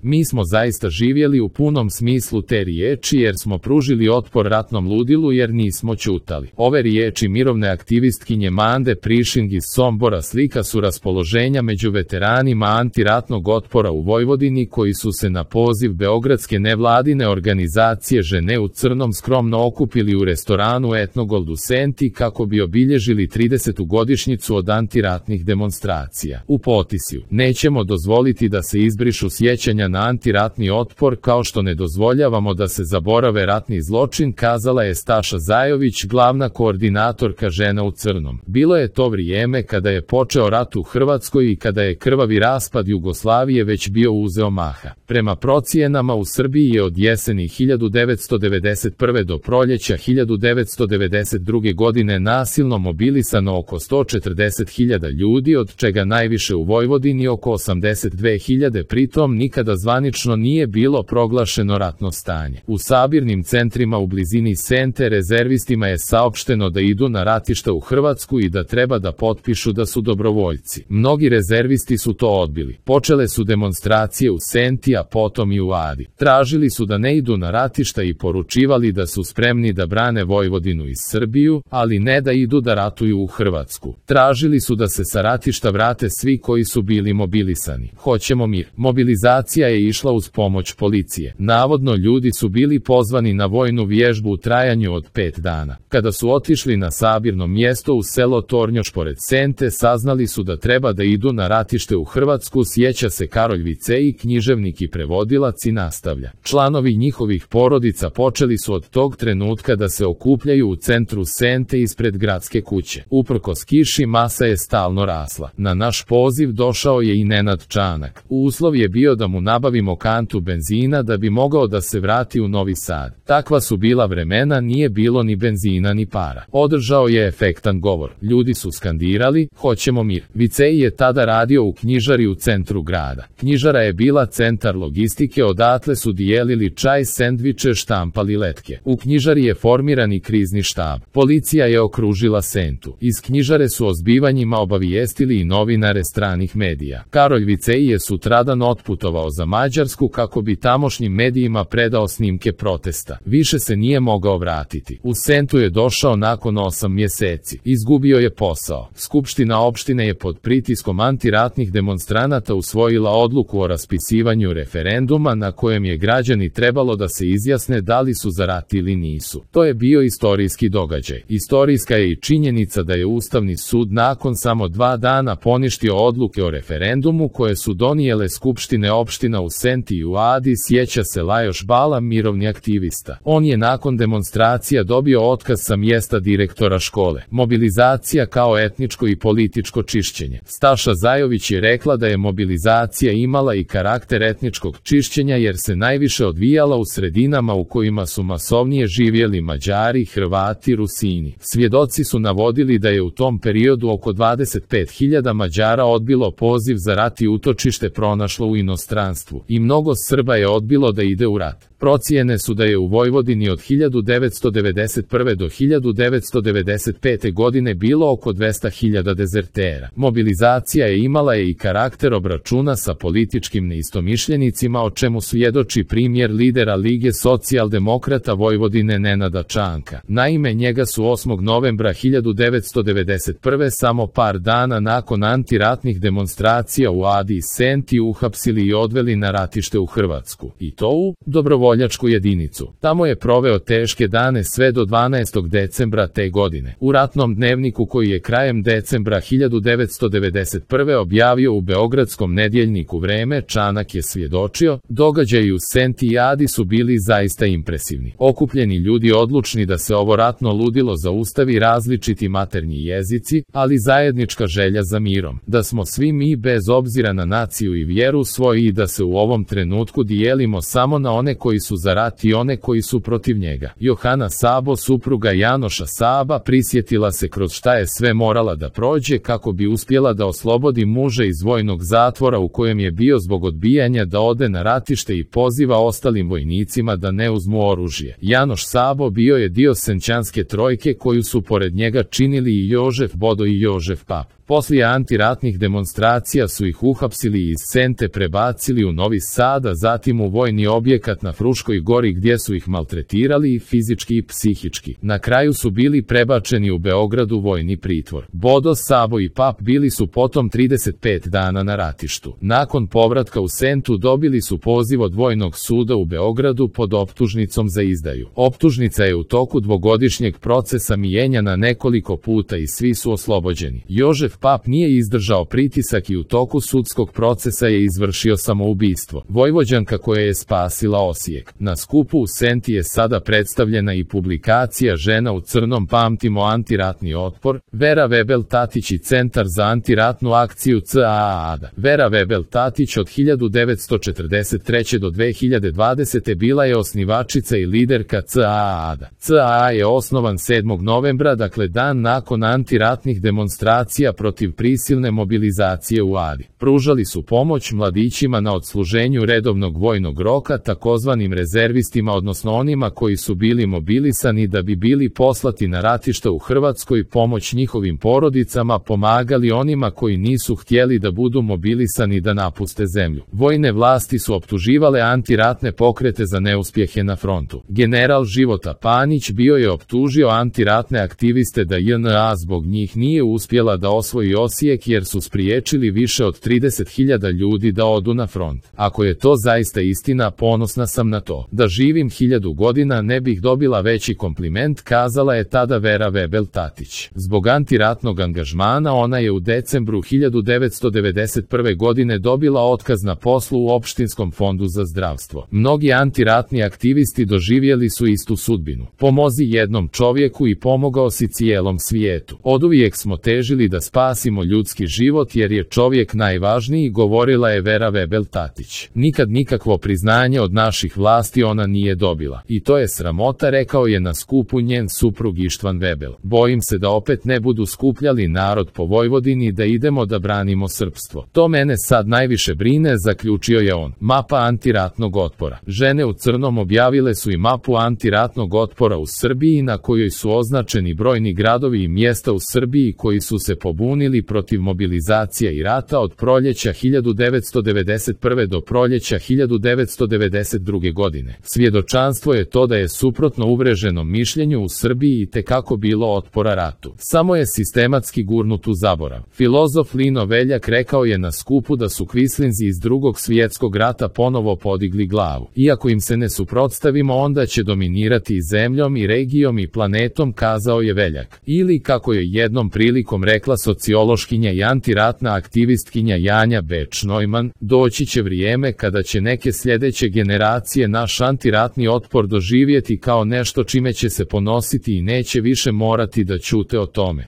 Mi smo zaista živjeli u punom smislu te riječi jer smo pružili otpor ratnom ludilu jer nismo ćutali. Ove riječi mirovne aktivistkinje Mande Prišing iz Sombora slika su raspoloženja među veteranima antiratnog otpora u Vojvodini koji su se na poziv beogradske nevladine organizacije Žene u crnom skromno okupili u restoranu Etnogold u Senti kako bi obilježili 30. godišnjicu od antiratnih demonstracija. U potisju: nećemo dozvoliti da se izbrišu sjećanja na antiratni otpor kao što ne dozvoljavamo da se zaborave ratni zločin, kazala je Staša Zajović, glavna koordinatorka Žena u crnom. Bilo je to vrijeme kada je počeo rat u Hrvatskoj i kada je krvavi raspad Jugoslavije već bio uzeo maha. Prema procijenama u Srbiji je od jeseni 1991. do proljeća 1992. godine nasilno mobilisano oko 140.000 ljudi, od čega najviše u Vojvodini oko 82.000, pritom nikada zvanično nije bilo proglašeno ratno stanje. U sabirnim centrima u blizini Sente rezervistima je saopšteno da idu na ratišta u Hrvatsku i da treba da potpišu da su dobrovoljci. Mnogi rezervisti su to odbili. Počele su demonstracije u Senti, a potom i u Adi. Tražili su da ne idu na ratišta i poručivali da su spremni da brane Vojvodinu i Srbiju, ali ne da idu da ratuju u Hrvatsku. Tražili su da se sa ratišta vrate svi koji su bili mobilisani. Hoćemo mir. Mobilizacija je išla uz pomoć policije. Navodno ljudi su bili pozvani na vojnu vježbu u trajanju od 5 dana. Kada su otišli na sabirno mjesto u selo Tornjoš pored Sente, saznali su da treba da idu na ratište u Hrvatsku, sjeća se Karolj Vicej, književnik i prevodilac, i nastavlja: članovi njihovih porodica počeli su od tog trenutka da se okupljaju u centru Sente ispred gradske kuće. Uprkos kiši masa je stalno rasla. Na naš poziv došao je i Nenad Čanak. Uslov je bio da mu nabavimo kantu benzina da bi mogao da se vrati u Novi Sad. Takva su bila vremena, nije bilo ni benzina ni para. Održao je efektan govor. Ljudi su skandirali: hoćemo mir. Vicej je tada radio u knjižari u centru grada. Knjižara je bila centar logistike, odatle su dijelili čaj, sendviče, štampali letke. U knjižari je formiran i krizni štab. Policija je okružila Sentu. Iz knjižare su o zbivanjima obavijestili i novinare stranih medija. Karolj Vicej je sutradan otputovao za Mađarsku kako bi tamošnjim medijima predao snimke protesta. Više se nije mogao vratiti. U Sentu je došao nakon 8 mjeseci. Izgubio je posao. Skupština opštine je pod pritiskom antiratnih demonstranata usvojila odluku o raspisivanju referenduma na kojem je građani trebalo da se izjasne da li su za rat ili nisu. To je bio istorijski događaj. Istorijska je i činjenica da je Ustavni sud nakon samo 2 dana poništio odluke o referendumu koje su donijele skupštine opština u Senti i u Adi, sjeća se Lajoš Bala, mirovni aktivista. On je nakon demonstracija dobio otkaz sa mjesta direktora škole. Mobilizacija kao etničko i političko čišćenje. Staša Zajović je rekla da je mobilizacija imala i karakter etničkog čišćenja jer se najviše odvijala u sredinama u kojima su masovnije živjeli Mađari, Hrvati, Rusini. Svjedoci su navodili da je u tom periodu oko 25.000 Mađara odbilo poziv za rat i utočište pronašlo u inostranstvu. I mnogo Srba je odbilo da ide u rat. Procijene su da je u Vojvodini od 1991. do 1995. godine bilo oko 200.000 dezertera. Mobilizacija je imala i karakter obračuna sa političkim neistomišljenicima, o čemu svjedoči primjer lidera Lige socijaldemokrata Vojvodine Nenada Čanka. Naime, njega su 8. novembra 1991. samo par dana nakon antiratnih demonstracija u Adi i Senti uhapsili i odveli na ratište u Hrvatsku. I to u dobrovoljačku jedinicu. Tamo je proveo teške dane sve do 12. decembra te godine. U ratnom dnevniku koji je krajem decembra 1991. objavio u beogradskom nedjeljniku Vreme, Čanak je svjedočio: događaji u Senti i Adi su bili zaista impresivni. Okupljeni ljudi odlučni da se ovo ratno ludilo zaustavi, različiti maternji jezici, ali zajednička želja za mirom. Da smo svi mi bez obzira na naciju i vjeru svoji i da se u ovom trenutku dijelimo samo na one koji koji su za rat i one koji su protiv njega. Johana Sabo, supruga Janoša Saba, prisjetila se kroz šta je sve morala da prođe kako bi uspjela da oslobodi muža iz vojnog zatvora u kojem je bio zbog odbijanja da ode na ratište i poziva ostalim vojnicima da ne uzmu oružje. Janoš Sabo bio je dio Senčanske trojke koju su pored njega činili i Jožef Bodo i Jožef Pap. Poslije antiratnih demonstracija su ih uhapsili i iz Sente prebacili u Novi Sad, a zatim u vojni objekat na Fruškoj gori gdje su ih maltretirali i fizički i psihički. Na kraju su bili prebačeni u Beogradu vojni pritvor. Bodo, Sabo i Pap bili su potom 35 dana na ratištu. Nakon povratka u Sentu dobili su poziv od vojnog suda u Beogradu pod optužnicom za izdaju. Optužnica je u toku dvogodišnjeg procesa mijenjana nekoliko puta i svi su oslobođeni. Jožef Pap nije izdržao pritisak i u toku sudskog procesa je izvršio samoubistvo. Vojvođanka koja je spasila Osijek. Na skupu u Senti je sada predstavljena i publikacija Žena u crnom, pamtimo antiratni otpor, Vera Vebel Tatić i Centar za antiratnu akciju CAADA. Vera Vebel Tatić od 1943. do 2020. bila je osnivačica i liderka CAADA. CAA je osnovan 7. novembra, dakle dan nakon antiratnih demonstracija protiv prisilne mobilizacije u Adi. Pružali su pomoć mladićima na odsluženju redovnog vojnog roka, takozvanim rezervistima, odnosno onima koji su bili mobilisani da bi bili poslati na ratište u Hrvatskoj, pomoć njihovim porodicama, pomagali onima koji nisu htjeli da budu mobilisani da napuste zemlju. Vojne vlasti su optuživale antiratne pokrete za neuspjehe na frontu. General Života Panić bio je optužio antiratne aktiviste da JNA zbog njih nije uspjela da osvoji Osijek jer su spriječili više od 30.000 ljudi da odu na front. Ako je to zaista istina, ponosna sam na to. Da živim 1000 godina ne bih dobila veći kompliment, kazala je tada Vera Vebel Tatić. Zbog antiratnog angažmana ona je u decembru 1991. godine dobila otkaz na poslu u Opštinskom fondu za zdravstvo. Mnogi antiratni aktivisti doživjeli su istu sudbinu. Pomozi jednom čovjeku i pomogao si cijelom svijetu. Oduvijek smo težili da spasimo ljudski život jer je čovjek najvažniji, govorila je Vera Vebel Tatić. Nikad nikakvo priznanje od naših vlasti ona nije dobila. I to je sramota, rekao je na skupu njen suprug Ištvan Vebel. Bojim se da opet ne budu skupljali narod po Vojvodini da idemo da branimo srpstvo. To mene sad najviše brine, zaključio je on. Mapa antiratnog otpora. Žene u crnom objavile su i mapu antiratnog otpora u Srbiji na kojoj su označeni brojni gradovi i mjesta u Srbiji koji su se pobunili protiv mobilizacije i rata od proljeća 1991. do proljeća 1992. godine. Svjedočanstvo je to da je suprotno uvreženom mišljenju u Srbiji itekako bilo otpora ratu. Samo je sistematski gurnut u zaborav. Filozof Lino Veljak rekao je na skupu da su kvislinzi iz Drugog svjetskog rata ponovo podigli glavu. Iako im se ne suprotstavimo, onda će dominirati i zemljom i regijom i planetom, kazao je Veljak. Ili, kako je jednom prilikom rekla sociološkinja i antiratna aktivistkinja Janja Beč Neumann, doći će vrijeme kada će neke sljedeće generacije naš antiratni otpor doživjeti kao nešto čime će se ponositi i neće više morati da ćute o tome.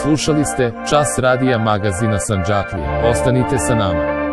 Slušali ste Čas radija magazina Sandžaklije. Ostanite sa nama.